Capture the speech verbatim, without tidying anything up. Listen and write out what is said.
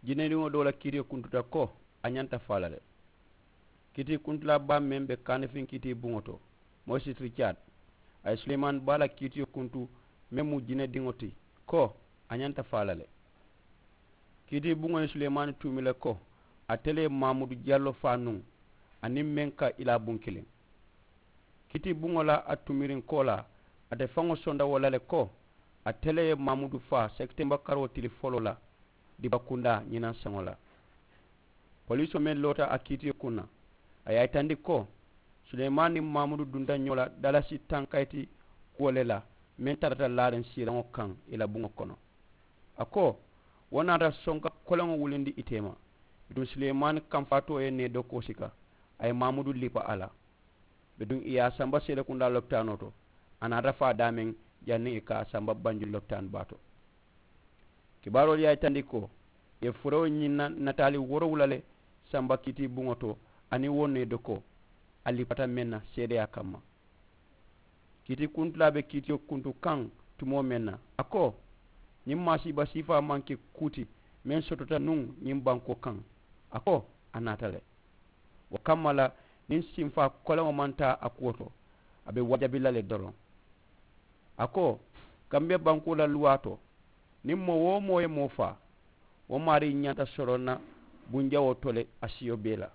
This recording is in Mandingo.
Jinediŋo doo la kiitiyo kuntuta ko a ñanta faa la le. Kiitii kuntulaa baa meŋ be kaanifiŋ kiitii buŋo to, moyisi ricaad, a ye suleemaani baa la kiitiyo kuntu meŋ mu jinediŋo ti, ko a ñanta faa la le. Kiitii buŋo ye suleemaani tuumi le ko ate le ye maamudu jallo faa nuŋ, aniŋ meŋ ka i laa buŋ kiliŋ. Kiitii buŋo la a tumiriŋ koolaa, ate faŋo sonda wo la le ko ate le ye maamudu faa sekitemba karoo tili foloo la, dibakundaa ñinaŋ saŋo la. Poliisoo meŋ loota a kiitiyo kuŋ na, a ye a yitandi ko suleemaani niŋ maamudu dunta ñoo la dalasi tankayiti kuwo le la, meŋ tarata laariŋ siiraŋo kaŋ i la buŋo kono. A ko wo naata sonka koleŋo wulindi i teema. Bituŋ suleemaani kamfaatoo ye nee dokoo sika, a ye maamudu lipa a la. Bituŋ i ye a samba seelekundaa lopitaanoo to, a naata faa daameŋ janniŋ i ka a samba banjulu lopitaani baa to. Kibaaroolu ye a yitandi ko i ye furewo ñiŋ na nataali woorowula le samba kiitii buŋo to, aniŋ wo nee dokoo a lipata meŋ na seedeyaa kamma. Kiitii kuntulaa be kiitiyo kuntu kaŋ tumoo meŋ na, a ko ñiŋ maasiiba siifaa maŋ ke kuu ti meŋ sotota nuŋ ñiŋ bankoo kaŋ. A ko a naata le. Wo kamma la, niŋ sinfaa koleŋo maŋ taa a kuwo to, a be wajabi la le doroŋ. A ko gambiya bankoo la luwaa to, niŋ moo-wo-moo ye moo faa, wo maarii ñanta soroŋ na bunjawoo to le a siyo bee la.